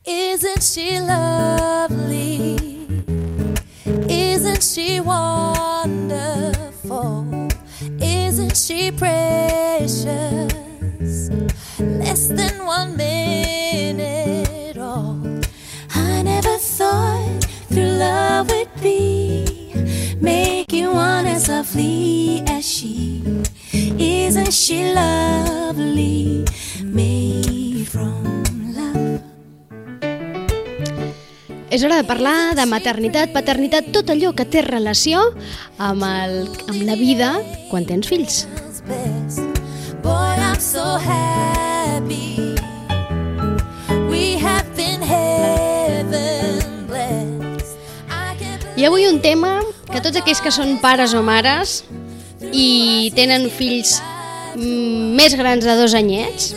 Isn't she lovely? Isn't she wonderful? Isn't she precious? Less than 1 minute old. I never thought through love would be make you want as lovely as she. Isn't she lovely? Made from love. És hora de parlar de maternitat, paternitat, tot allò que té relació amb la vida quan tens fills. Boy, I'm so happy. We have been heaven blessed. I avui un tema que tots aquells que són pares o mares i tenen fills més grans de 2 anyets,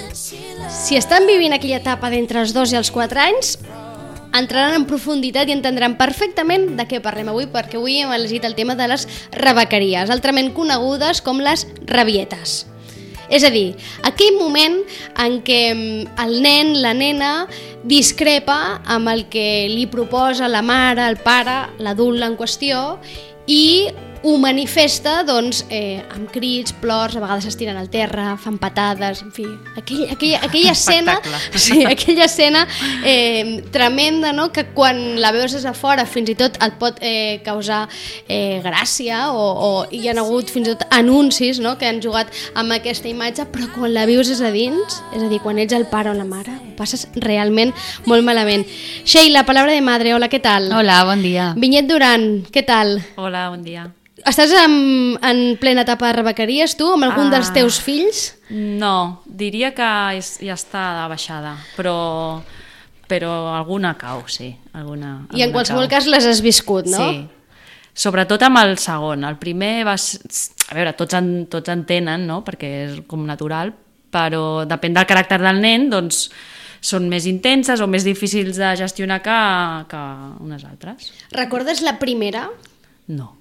si estan vivint aquella etapa d'entre els 2 i els 4 anys, entraran en profunditat i entendran perfectament de què parlem avui, perquè avui hem elegit el tema de les rebequeries, altrament conegudes com les rabietes. És a dir, aquell moment en què el nen, la nena, discrepa amb el que li proposa la mare, el pare, l'adult en qüestió i ho manifesta amb crits, plors, a vegades s'estiren al terra, fan patades, en fi, aquella escena, sí, aquella escena tremenda, no? Que quan la veus des de fora fins i tot et pot causar gràcia o hi ha hagut fins i tot anuncis, no? Que han jugat amb aquesta imatge, però quan la vius des de dins, és a dir, quan ets el pare o la mare, ho passes realment molt malament. Sheila, Palabra de Madre, hola, què tal? Hola, bon dia. Vinyet Duran, què tal? Hola, bon dia. Estàs en plena etapa de rebequeries, tu, amb algun dels teus fills? No, diria que ja està de baixada, però alguna cau, sí. I en qualsevol cas les has viscut, no? Sí, sobretot amb el segon. El primer va ser... A veure, tots en tenen, no? Perquè és com natural, però depèn del caràcter del nen, doncs són més intenses o més difícils de gestionar que unes altres. Recordes la primera? No.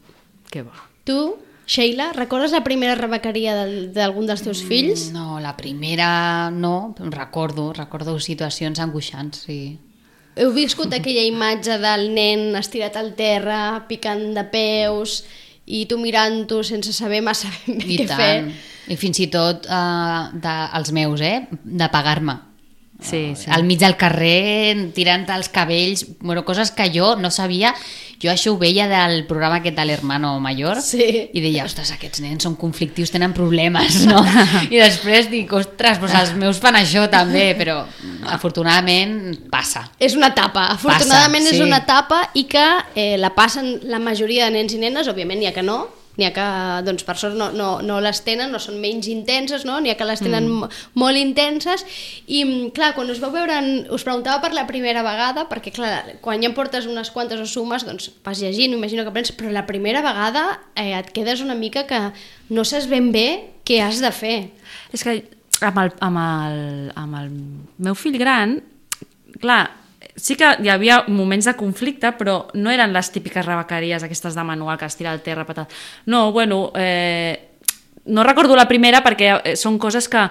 Què va? Tu, Sheila, recordes la primera rebequeria d'algun dels teus fills? No, la primera no, recordo situacions angoixants, sí. Heu viscut aquella imatge del nen estirat al terra, picant de peus, i tu mirant-ho sense saber massa ben bé què fer? I fins i tot els meus, de pagar-me. Sí, sí. Al mig del carrer, tirant els cabells, coses que jo no sabia. Jo això ho veia del programa aquest de l'Hermano Mayor, sí. I deia, ostres, aquests nens són conflictius, tenen problemes, no? I després dic, ostres, doncs els meus fan això també, però afortunadament passa. És una etapa, afortunadament passa, és una etapa i que la passen la majoria de nens i nenes, òbviament n'hi ha que no, n'hi ha que, doncs, per sort no les tenen, no són menys intenses, no? N'hi ha que les tenen molt intenses i, clar, quan us vau veure, us preguntava per la primera vegada, perquè, clar, quan ja em portes unes quantes o sumes, doncs vas llegint, imagino que aprens, però la primera vegada et quedes una mica que no saps ben bé què has de fer. És que amb el meu fill gran, clar, sí que hi havia moments de conflicte, però no eren les típiques rebequeries aquestes de manual que es tira al terra, patat. No, bueno, no recordo la primera perquè són coses que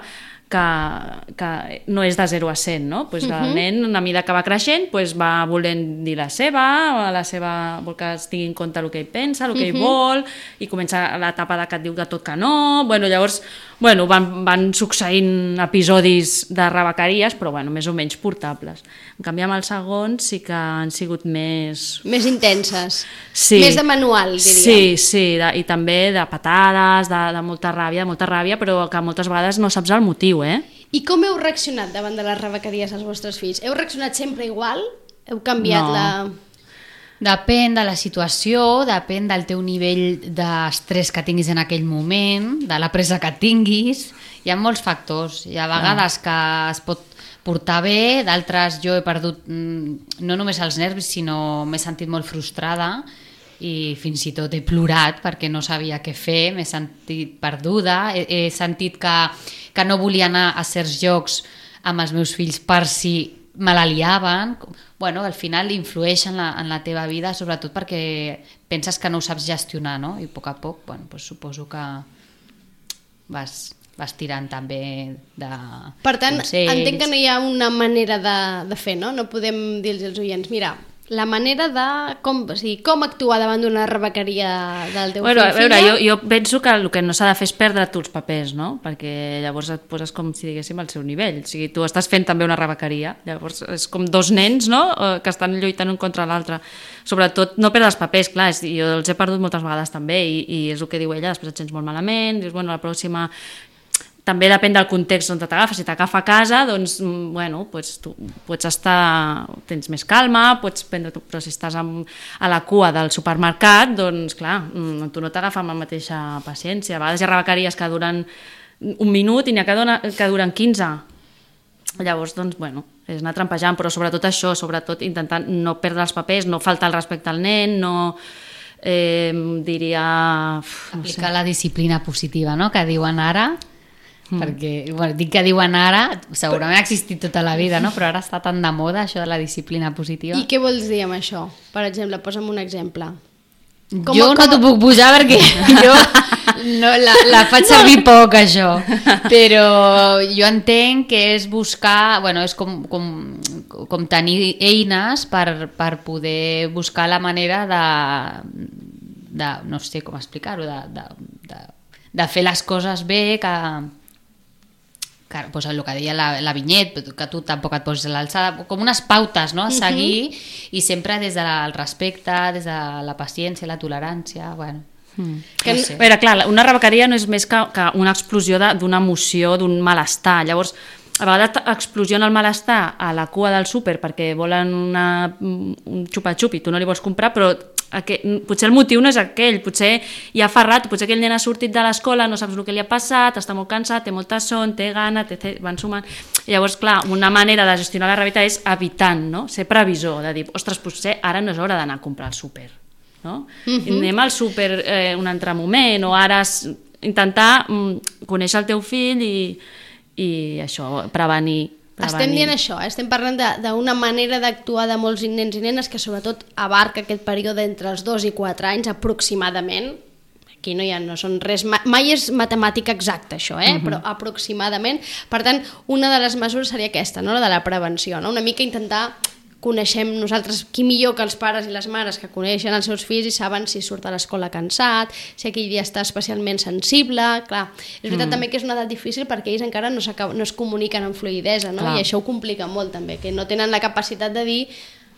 no és de 0 a 100, no? Pues el nen, a mesura que va creixent, pues va volent dir la seva vol que es tingui en compte el que ell pensa, el que ell vol, i comença l'etapa que et diu de tot que no. Llavors van succeint episodis de rebequeries, però més o menys portables. En canvi, amb el segon sí que han sigut més... Més intenses, sí. Més de manual, diríem. Sí, i també de patades, de molta ràbia, però que moltes vegades no saps el motiu, I com heu reaccionat davant de les rebequeries als vostres fills? Heu reaccionat sempre igual? Heu canviat No. Depèn de la situació, depèn del teu nivell d'estrès que tinguis en aquell moment, de la pressa que tinguis. Hi ha molts factors. Hi ha vegades que es pot portar bé, d'altres jo he perdut no només els nervis, sinó m'he sentit molt frustrada i fins i tot he plorat perquè no sabia què fer, m'he sentit perduda, he sentit que no volia anar a certs llocs amb els meus fills per si me l'aliaven. Al final influeix en la teva vida, sobretot perquè penses que no ho saps gestionar, no? I a poc, suposo que vas vas tirant també de Per tant, consells. entenc que no hi ha una manera de fer, no? No podem dir-los als oients, mira, la manera de com actuar davant d'una rebequeria del teu Bueno, a fill, veure, filla. jo penso que el que no s'ha de fer és perdre tu els papers, no? Perquè llavors et poses com si diguéssim al seu nivell. O sigui, tu estàs fent també una rebequeria. Llavors és com dos nens, no?, que estan lluitant un contra l'altre. Sobretot no perdre els papers, clar, jo els he perdut moltes vegades també i és el que diu ella, després et sents molt malament, dius, bueno, la pròxima... També depèn del context on t'agafa. Si t'agafa a casa, doncs, bueno, pues tu pots estar... tens més calma, pots prendre... Però si estàs a la cua del supermercat, doncs, clar, tu no t'agafa amb la mateixa paciència. A vegades hi ha rebequeries que duren un minut i n'hi ha que duren 15. Llavors, doncs, bueno, és anar trampejant, però sobretot això, sobretot intentant no perdre els papers, no faltar el respecte al nen, no... diria... Aplicar la disciplina positiva, no?, que diuen ara... perquè, bueno, dic que diuen ara, segurament ha existit tota la vida, no? Però ara està tan de moda això de la disciplina positiva. I què vols dir amb això? Per exemple, posa'm un exemple. Jo no t'ho puc posar perquè jo no, la faig servir poc, això. Però jo entenc que és buscar, bueno, és com tenir eines per poder buscar la manera de no sé com explicar-ho, de fer les coses bé, que pues el que deia la Vinyet, que tu tampoc et poses a l'alçada, com unes pautes, no?, a seguir, i sempre des del respecte, des de la paciència, la tolerància, bueno... No sé. A veure, clar, una rebequeria no és més que una explosió d'una emoció, d'un malestar. Llavors, a vegades explosiona el malestar a la cua del súper perquè volen un xupa-xup i tu no li vols comprar, però potser el motiu no és aquell, potser hi ha ferrat, potser aquell nen ha sortit de l'escola, no saps el que li ha passat, està molt cansat, té molta son, té gana, van sumant... Llavors, clar, una manera de gestionar la realitat és evitant, no?, ser previsor, de dir, ostres, potser ara no és hora d'anar a comprar al súper, no? Anem al súper un altre moment, o ara intentar conèixer el teu fill i això, prevenir. Estem dient això, estem parlant d'una manera d'actuar de molts nens i nenes que sobretot abarca aquest període entre els 2 i 4 anys aproximadament. Aquí no són res, mai és matemàtica exacta això, però aproximadament. Per tant, una de les mesures seria aquesta, no?, la de la prevenció, no? Una mica intentar... Coneixem nosaltres, qui millor que els pares i les mares que coneixen els seus fills i saben si surt a l'escola cansat, si aquell dia està especialment sensible, clar. És veritat també que és una edat difícil perquè ells encara no es comuniquen amb fluïdesa, no? I això ho complica molt també, que no tenen la capacitat de dir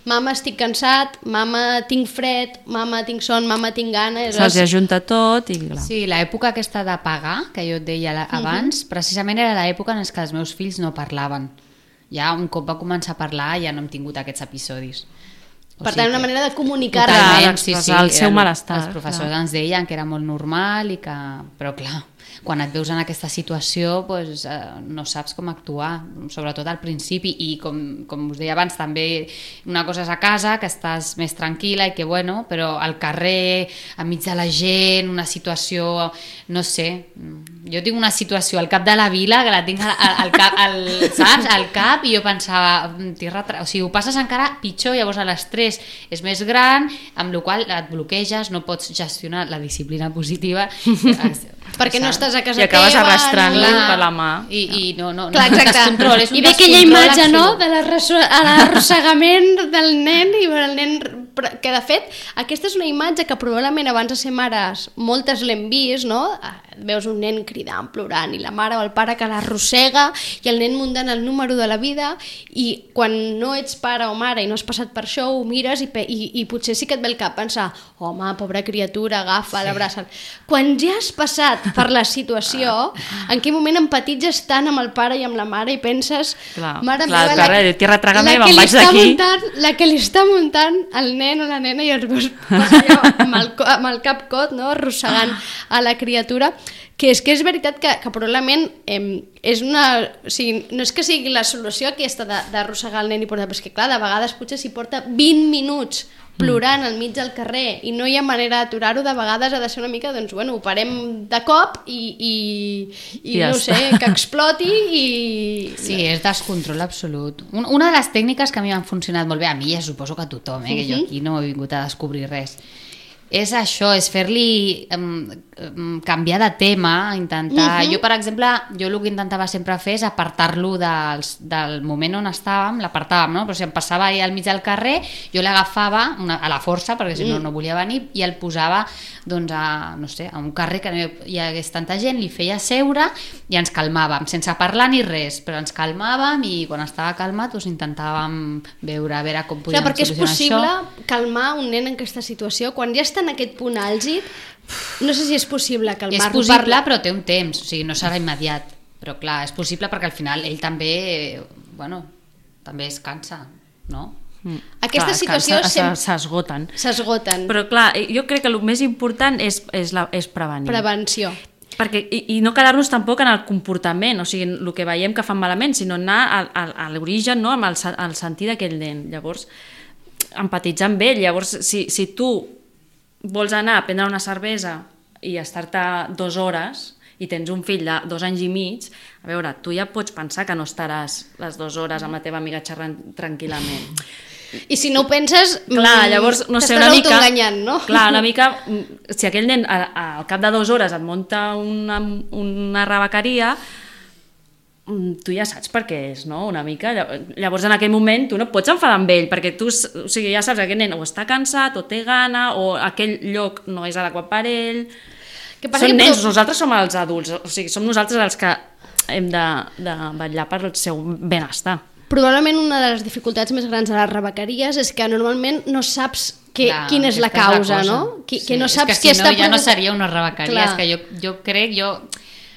mama estic cansat, mama tinc fred, mama tinc son, mama tinc gana... Se'ls ajunta tot i clar. Sí, l'època aquesta de pagar, que jo et deia abans, precisament era l'època en què els meus fills no parlaven. Ja un cop va començar a parlar ja no hem tingut aquests episodis. Per tant, una manera de comunicar el seu malestar. Els professors ens deien que era molt normal i que... Però clar, quan et veus en aquesta situació doncs, no saps com actuar, sobretot al principi, i com us deia abans també, una cosa és a casa, que estàs més tranquil·la i que bueno, però al carrer, enmig de la gent, una situació, no sé, jo tinc una situació al cap de la vila que la tinc al cap, saps? Al cap, i jo pensava, o sigui, ho passes encara pitjor, llavors l'estrès és més gran, amb la qual et bloqueges, no pots gestionar la disciplina positiva perquè no estàs a casa teva i acabes teva, arrastrant-li per la mà i no clar, descontrol, és un i ve aquella descontrol imatge, no?, absolut. de l'arrossegament del nen i el nen, que de fet aquesta és una imatge que probablement abans de ser mares moltes l'hem vist, no? Veus un nen cridant, plorant, i la mare o el pare que l'arrossega i el nen muntant el número de la vida, i quan no ets pare o mare i no has passat per això, ho mires i potser sí que et ve el cap pensar, home, pobra criatura, agafa, l'abraça. Quan ja has passat per la situació, en quin moment empatitzes tant amb el pare i amb la mare i penses, mare meva, la que li està muntant el nen o la nena, i els veus allò, amb el cap cot, no?, arrossegant a la criatura, que és veritat que probablement és una... O sigui, no és que sigui la solució aquesta d'arrossegar el nen i portar, però és que clar, de vegades potser s'hi porta 20 minuts plorant al mig del carrer i no hi ha manera d'aturar-ho, de vegades ha de ser una mica, doncs bueno, ho parem de cop i ja no sé, que exploti i... Sí, és descontrol absolut. Una de les tècniques que a mi m'han funcionat molt bé, a mi ja suposo que a tothom, que jo aquí no he vingut a descobrir res, és això, és fer-li canviar de tema, intentar... Jo, per exemple, el que intentava sempre fer és apartar-lo del moment on estàvem, l'apartàvem, no? Però si em passava al mig del carrer, jo l'agafava a la força, perquè si no, no volia venir, i el posava doncs, a un carrer que no hi hagués tanta gent, li feia seure i ens calmàvem, sense parlar ni res, però ens calmàvem i quan estava calmat doncs, intentàvem veure com podíem solucionar això. Perquè és possible calmar un nen en aquesta situació, quan ja està en aquest punt àlgid, no sé si és possible calmar-lo. És possible, però té un temps, o sigui, no serà immediat. Però clar, és possible perquè al final ell també, també es cansa, no? Aquesta situació s'esgoten. S'esgoten. Però clar, jo crec que el més important és prevenir. Prevenció. Perquè, i no quedar-nos tampoc en el comportament, o sigui, el que veiem que fan malament, sinó anar a l'origen, no? Amb el sentir d'aquell nen. Llavors, empatitzar amb ell. Llavors, si tu vols anar a prendre una cervesa i estar-te 2 hores i tens un fill de 2 anys i mig, a veure, tu ja pots pensar que no estaràs les 2 hores amb la teva amiga xerrant tranquil·lament. I si no ho penses, clar, llavors, no sé, una mica, autoenganyant, no? Clar, una mica, si aquell nen al cap de 2 hores et munta una rebequeria, tu ja saps per què és, no? Una mica. Llavors, en aquell moment, tu no pots enfadar amb ell, perquè tu ja saps que aquest nen o està cansat, o té gana, o aquell lloc no és adequat per ell. Són nens, nosaltres som els adults, o sigui, som nosaltres els que hem de vetllar per el seu benestar. Probablement una de les dificultats més grans de les rebequeries és que normalment no saps quina és la causa, no? Que no saps qui està... Ja no seria una rebequeria, és que jo crec...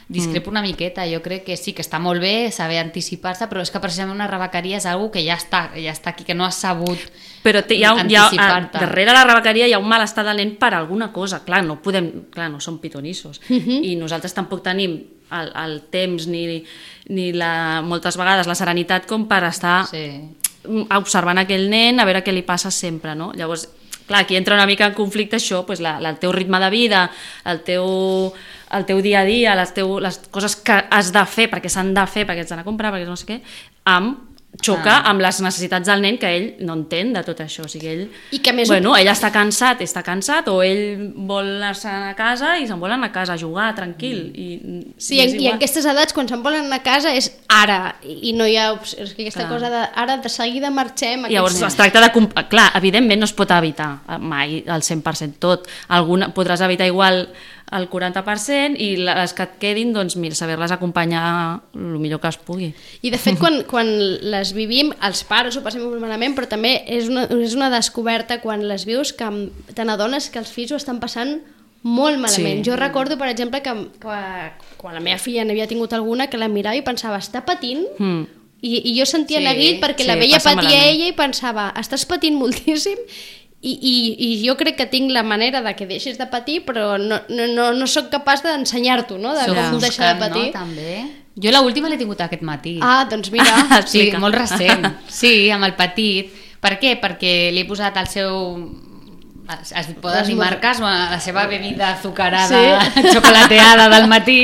Discrepo una miqueta, jo crec que sí, que està molt bé saber anticipar-se, però és que precisament una rebequeria és una que ja està aquí, que no has sabut anticipar-te. Darrere la rebequeria hi ha un malestar del nen per alguna cosa, clar, no som pitonissos, i nosaltres tampoc tenim el temps ni moltes vegades la serenitat com per estar observant aquell nen, a veure què li passa sempre, no? Llavors, clar, aquí entra una mica en conflicte això, el teu ritme de vida, el teu dia a dia, les coses que has de fer, perquè s'han de fer, perquè ets d'anar a comprar, perquè no sé què, xoca amb les necessitats del nen que ell no entén de tot això. O sigui, ell està cansat, o ell vol anar a casa i se'n vol anar a casa a jugar tranquil. Sí, i en aquestes edats, quan se'n volen anar a casa, és ara, i no hi ha aquesta cosa de ara de seguida marxem. Llavors es tracta de... Clar, evidentment no es pot evitar mai al 100% tot. Podràs evitar igual el 40% i les que et quedin, doncs mira, saber-les acompanyar el millor que es pugui. I de fet, quan les vivim, els pares ho passem molt malament, però també és una descoberta quan les vius que te n'adones que els fills ho estan passant molt malament. Jo recordo, per exemple, que quan la meva filla n'havia tingut alguna, que la mirava i pensava, està patint? I jo sentia neguit perquè la veia patir a ella i pensava, estàs patint moltíssim? I jo crec que tinc la manera de que deixis de patir, però no sóc capaç d'ensenyar-t'ho, no? De com deixar de patir. No, també. Jo l'última l'he tingut aquest matí. Doncs mira. Sí, molt recent. Sí, amb el petit. Per què? Perquè li he posat el seu... Es poden dir marques, la seva bebida azucarada, xocolateada del matí,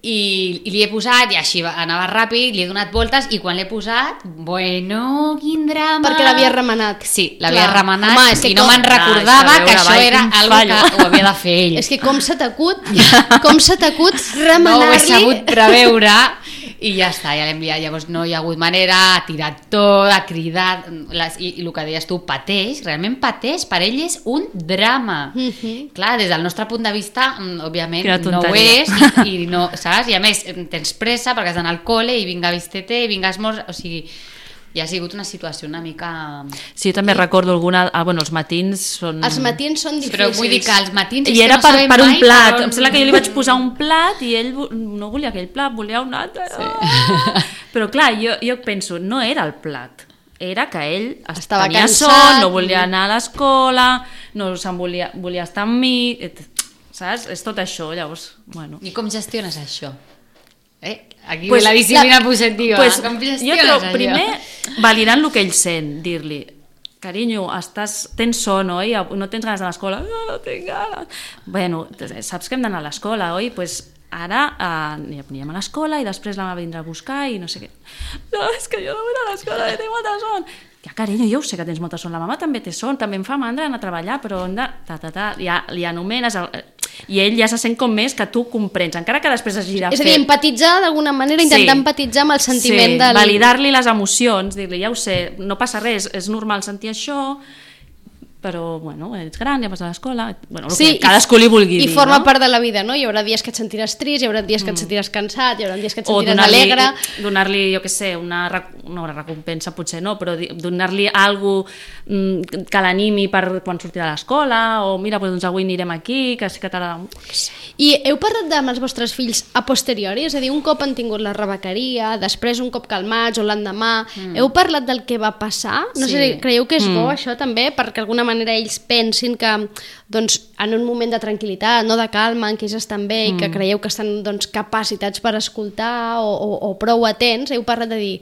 i li he posat, i així anava ràpid, li he donat voltes, i quan l'he posat, quin drama! Perquè l'havia remenat. Sí, l'havia remenat, i no me'n recordava que això era algo que ho havia de fer ell. És que com s'ha t'acut remenar-li... No ho he sabut preveure, i ja està, ja l'he enviat. Llavors no hi ha hagut manera, ha tirat tot, ha cridat, i el que deies tu, realment pateix, per ell és un drama. Clar, des del nostre punt de vista, òbviament, no ho és, i no, saps? I a més, tens pressa perquè has d'anar al col·le i vinga vistete, i vinga esmorzar, o sigui, ja ha sigut una situació una mica... Sí, jo també recordo alguna... els matins són... Els matins són difícils. Però vull dir que els matins... I era per un plat. Em sembla que jo li vaig posar un plat i ell no volia aquell plat, volia un altre. Però clar, jo penso, no era el plat. Era que ell tenia son, no volia anar a l'escola, no se'n volia estar amb mi... Saps? És tot això, llavors... Bueno. I com gestiones això? Aquí la disciplina positiva. Com gestiones jo trobo, primer, validant el que ell sent, dir-li, carinyo, tens son, oi? No tens ganes de l'escola? No tinc ganes. Bueno, saps que hem d'anar a l'escola, oi? Pues ara anirem a l'escola i després la meva vindrà a buscar i no sé què. No, és que jo no vull anar a l'escola, tinc molta son. Ja carinyo, jo ho sé que tens molta son, la mama també té son, també em fa mandra anar a treballar, però hem de... Ja li anomenes... I ell ja se sent com més que tu comprens, encara que després hagi de fer... És a dir, empatitzar d'alguna manera, intentar empatitzar amb el sentiment del... validar-li les emocions, dir-li, ja ho sé, no passa res, és normal sentir això, però, bueno, ets gran, ja vas a l'escola... Bueno, que cadascú li vulgui dir, I forma part de la vida, no? Hi haurà dies que et sentiràs trist, hi haurà dies que et sentiràs cansat, hi haurà dies que et sentiràs alegre... O donar-li, jo què sé, una recompensa potser no, però donar-li alguna cosa que l'animi per quan surti de l'escola, o mira, doncs avui anirem aquí, que sí que t'agrada... I heu parlat amb els vostres fills a posteriori? És a dir, un cop han tingut la rebequeria, després un cop calmats o l'endemà, heu parlat del que va passar? No sé, creieu que és bo això també? Perquè d'alguna manera ells pensin que doncs, en un moment de tranquil·litat, no de calma, en què ells estan bé i que creieu que estan doncs, capacitats per escoltar o prou atents, heu parlat de dir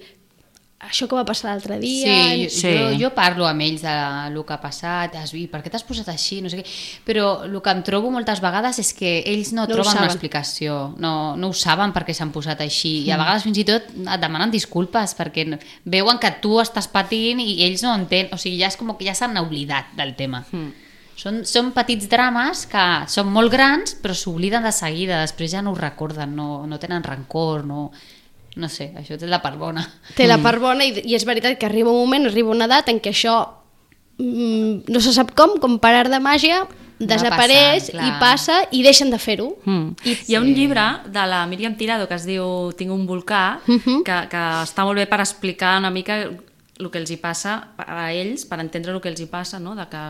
això que va passar l'altre dia... Jo parlo amb ells del que ha passat, per què t'has posat així, no sé què, però el que em trobo moltes vegades és que ells no troben una explicació, no ho saben per què s'han posat així, i a vegades fins i tot et demanen disculpes perquè veuen que tu estàs patint i ells no entenen, o sigui, ja és com que ja s'han oblidat del tema. Són petits drames que són molt grans però s'obliden de seguida, després ja no ho recorden, no tenen rancor, no sé, això té la part bona. Té la part bona i és veritat que arriba un moment, arriba una edat en què això no se sap com per art de màgia desapareix i passa i deixen de fer-ho. Hi ha un llibre de la Míriam Tirado que es diu Tinc un volcà, que està molt bé per explicar una mica el que els hi passa a ells, per entendre el que els hi passa, no? De que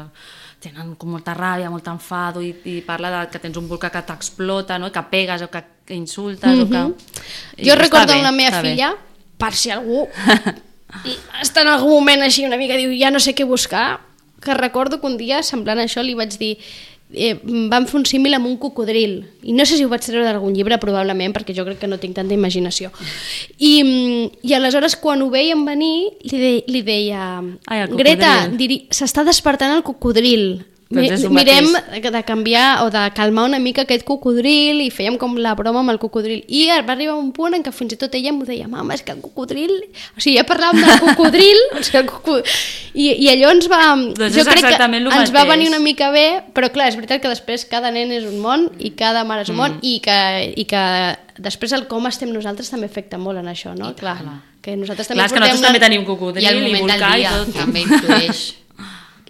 tenen com molta ràbia, molt enfado i parla de que tens un volcà que t'explota, no? Que pegues o que insultes o que... Jo recordo la meva filla, per si algú està en algun moment així una mica, diu ja no sé què buscar, que recordo que un dia semblant a això li vaig dir vam fer un símil amb un cocodril i no sé si ho vaig treure d'algun llibre probablement perquè jo crec que no tinc tanta imaginació i aleshores quan ho veiem venir li deia Greta, s'està despertant el cocodril, mirem de canviar o de calmar una mica aquest cocodril i fèiem com la broma amb el cocodril i va arribar un punt en què fins i tot ella m'ho deia mama, és que el cocodril, o sigui ja parlàvem del cocodril i allò ens va jo crec que ens va venir una mica bé però clar, és veritat que després cada nen és un món i cada mare és un món i que després el com estem nosaltres també afecta molt en això, no? Clar, que nosaltres també nosaltres també tenim cocodril i volcà i tot també influeix.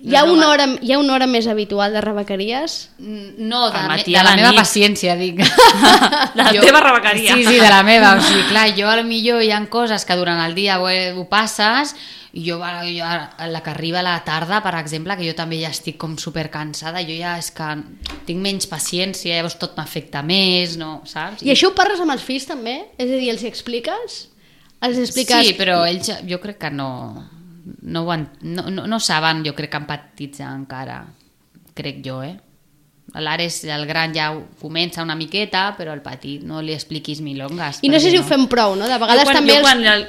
Hi ha una hora més habitual de rebequeries? No, de la meva paciència, dic. De la teva rebequeria. Sí, de la meva. O sigui, clar, jo potser hi ha coses que durant el dia ho passes i jo la que arriba a la tarda, per exemple, que jo també ja estic com supercansada, jo ja és que tinc menys paciència, llavors tot m'afecta més, no, saps? I això ho parles amb els fills també? És a dir, els hi expliques? Sí, però ells jo crec que no saben, jo crec que empatitzar encara, crec jo, l'Ares, el gran ja comença una miqueta, però el petit no li expliquis milongas. I no sé si ho fem prou, no? De vegades també...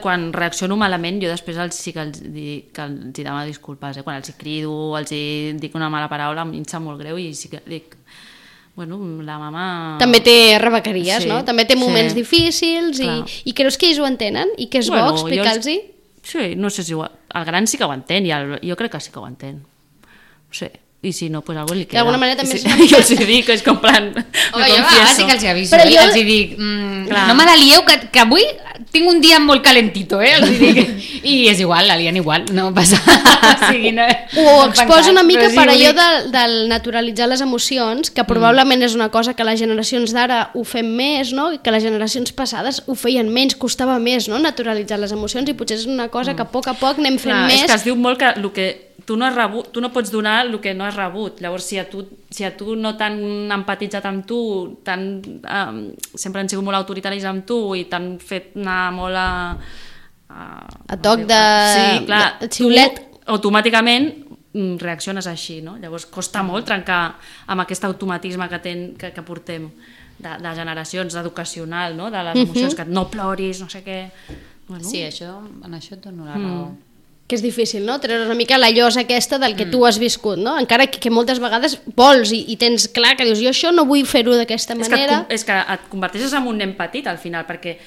Quan reacciono malament, jo després sí que els demano disculpes, quan els crido, els dic una mala paraula, em sap molt greu i sí que dic... Bueno, la mama... També té rebequeries, no? També té moments difícils i creus que ells ho entenen? I que és bo explicar-los-hi? Sí, no sé si el gran sí que ho entén, jo crec que sí que ho entén. No sé, i si no, pues algo li queda. D'alguna manera també... Jo els dic, és com plan... Jo sí que els aviso, els dic, no me la lieu, que avui tinc un dia molt calentito, els dic. I és igual, la lien igual, no passa. Ho exposa una mica per allò del naturalitzar les emocions, que probablement és una cosa que les generacions d'ara ho fem més, no? I que les generacions passades ho feien menys, costava més, no? Naturalitzar les emocions i potser és una cosa que a poc anem fent més. És que es diu molt que el que tu no pots donar el que no has rebut. Llavors, si a tu no t'han empatitzat amb tu, sempre han sigut molt autoritaris amb tu i t'han fet anar molt a toc de xiulet, automàticament reacciones així, no? Llavors costa molt trencar amb aquest automatisme que portem de generacions, educacional, no? De les emocions, que no ploris, no sé què. Sí, en això et dono la raó. Que és difícil, no? Treure una mica la llosa aquesta del que tu has viscut, no? Encara que moltes vegades vols i tens clar que dius, jo això no vull fer-ho d'aquesta manera. És que et converteixes en un nen petit al final, perquè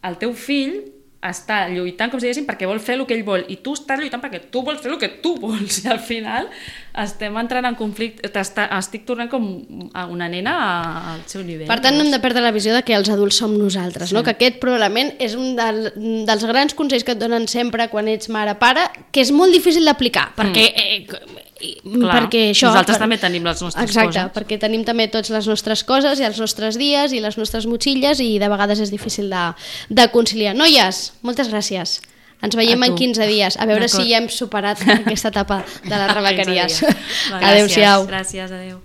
el teu fill està lluitant, com si diguéssim, perquè vol fer el que ell vol, i tu estàs lluitant perquè tu vols fer el que tu vols, i al final estem entrant en conflicte, estic tornant com a una nena al seu nivell. Per tant, no hem de perdre la visió de que els adults som nosaltres, no? Que aquest probablement és un dels grans consells que et donen sempre quan ets mare-pare, que és molt difícil d'aplicar, perquè... perquè això, nosaltres també tenim les nostres coses. Exacte, perquè tenim també tots les nostres coses i els nostres dies i les nostres motxilles i de vegades és difícil de conciliar. Noies, moltes gràcies. Ens veiem en 15 dies, a veure si ja hem superat aquesta etapa de les rebequeries. Adéu-siau. Gràcies, adéu.